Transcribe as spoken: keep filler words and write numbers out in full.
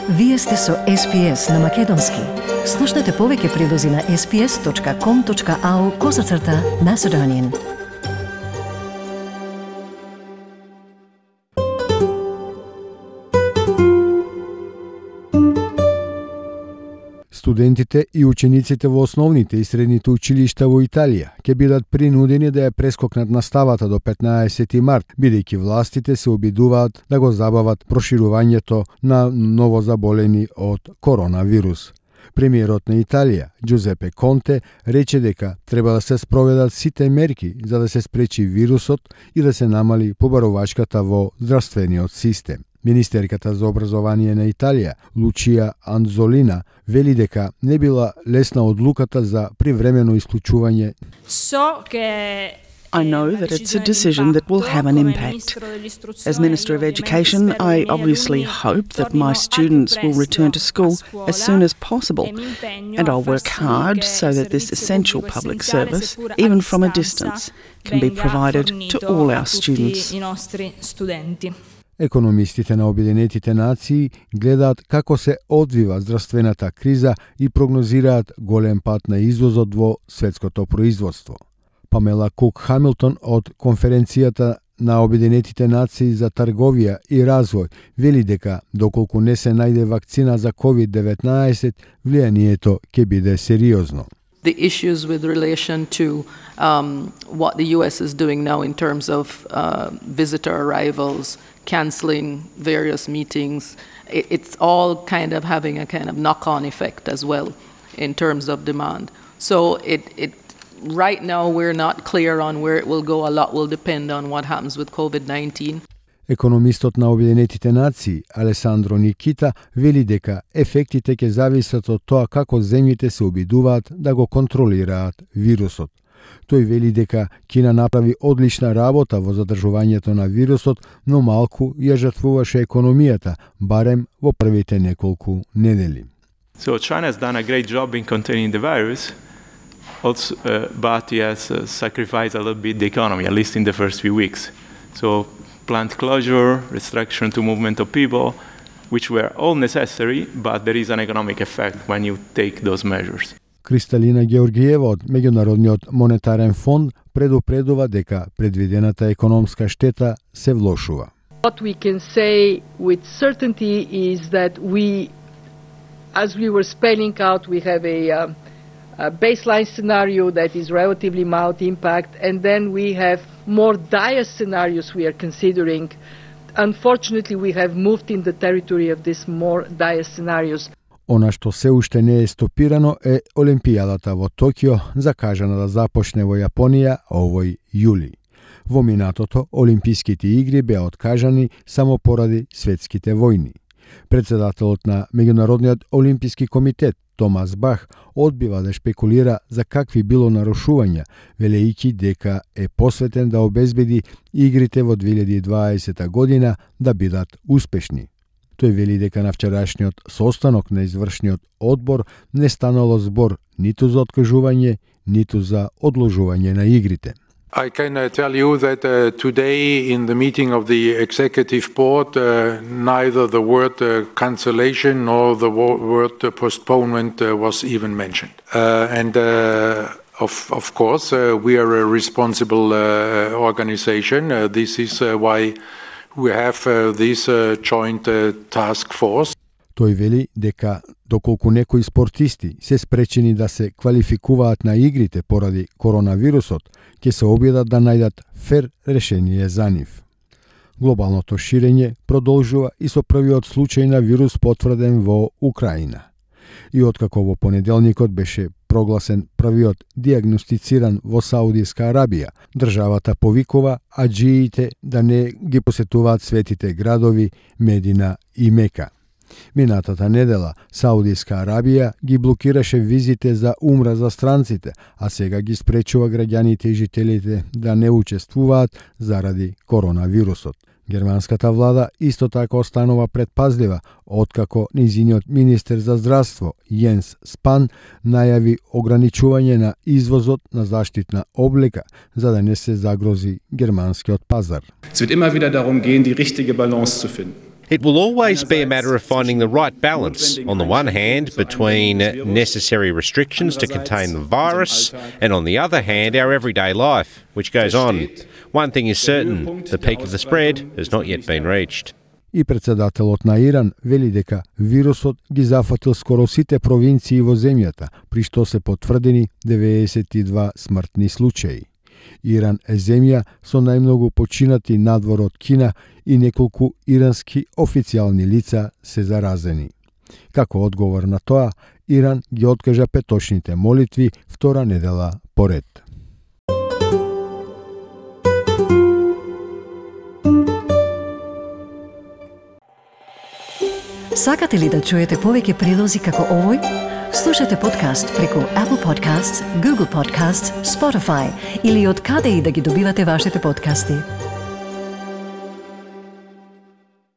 Вие сте со Ес Пи Ес на Македонски. Слушнете повеќе прилози на ес пи ес точка ком точка ау козацрта Macedonian. Студентите и учениците во основните и средните училишта во Италија ќе бидат принудени да ја прескокнат наставата до петнаесети март, бидејќи властите се обидуваат да го забават проширувањето на новозаболени од коронавирус. Премиерот на Италија, Џузепе Конте, рече дека треба да се спроведат сите мерки за да се спречи вирусот и да се намали побарувачката во здравствениот систем. Министерката за образование на Италија, Лучија Анзолина, вели дека не била лесна одлуката за привремено исклучување. I know that it's a decision that will have an impact. As Minister of Education, I obviously hope that my students will return to school as soon as possible, and I'll work hard so that this essential public service, even from a distance, can be provided to all our students. Економистите на Обединетите нации гледаат како се одвива здравствената криза и прогнозираат голем пат на извозот во светското производство. Памела Кук Хамилтон од Конференцијата на Обединетите нации за трговија и развој вели дека доколку не се најде вакцина за ковид деветнаесет, влијанието ќе биде сериозно. The issues with relation to um, what the U S is doing now in terms of uh, visitor arrivals, cancelling various meetings, it, it's all kind of having a kind of knock-on effect as well in terms of demand. So it, it right now we're not clear on where it will go. A lot will depend on what happens with covid nineteen. Економистот на Обединетите нации Алесандро Никита вели дека ефектите ќе зависат од тоа како земјите се обидуваат да го контролираат вирусот. Тој вели дека Кина направи одлична работа во задржувањето на вирусот, но малку ја жртвуваше економијата, барем во првите неколку недели. So China has done a great job in containing the virus, also, uh, but he has uh, sacrificed a little bit the economy, at least in the first few weeks. So plant closure, restriction to movement of people, which were all necessary, but there is an economic effect when you take those measures. Кристалина Георгиева од Меѓународниот монетарен фонд предупредува дека предвидената економска штета се влошува. What we can say with certainty is that we, as we were spelling out, we have a, um, a baseline scenario that is relatively mild impact, and then we have more dire scenarios we are considering. Unfortunately, we have moved in the territory of these more dire scenarios. Она што се уште не е стопирано е Олимпијадата во Токио, закажана да започне во Јапонија овој јули. Во минатото, Олимписките игри беа откажани само поради светските војни. Председателот на Меѓународниот олимписки комитет Томас Бах одбива да шпекулира за какви било нарушувања, велејќи дека е посветен да обезбеди игрите во две илјади и дваесета година да бидат успешни. Тој вели дека на вчерашниот состанок на извршниот одбор не станало збор ниту за откажување, ниту за одложување на игрите. I can uh, tell you that uh, today in the meeting of the executive board, uh, neither the word uh, cancellation nor the wo- word uh, postponement uh, was even mentioned. Uh, and uh, of, of course, uh, we are a responsible uh, organization. Uh, this is uh, why we have uh, this uh, joint uh, task force. Тој вели дека доколку некои спортисти се спречени да се квалификуваат на игрите поради коронавирусот, ќе се обидат да најдат фер решение за нив. Глобалното ширење продолжува и со првиот случај на вирус потврден во Украина. И откако во понеделникот беше прогласен првиот диагностициран во Саудиска Арабија, државата повикува аџиите да не ги посетуваат светите градови Медина и Мека. Минатата недела Саудиска Арабија ги блокираше визите за умра за странците, а сега ги спречува граѓаните и жителите да не учествуваат заради коронавирусот. Германската влада исто така останува предпазлива, откако низиниот министер за здравство Јенс Спан најави ограничување на извозот на заштитна облека, за да не се загрози германскиот пазар. Es wird immer wieder darum gehen, die richtige Balance zu finden. It will always be a matter of finding the right balance, on the one hand, between necessary restrictions to contain the virus, and on the other hand, our everyday life, which goes on. One thing is certain, the peak of the spread has not yet been reached. И председателот на Иран вели дека вирусот ги зафатил скоро сите провинции во земјата, при што се потврдени деветдесет и два смртни случаи. Иран е земја со најмногу починати надвор од Кина и неколку ирански официјални лица се заразени. Како одговор на тоа, Иран ги откажа петочните молитви втора недела поред. Сакате ли да чуете повеќе прилози како овој? Слушате подкаст преку Apple Podcasts, Google Podcasts, Spotify или од каде и да ги добивате вашите подкасти.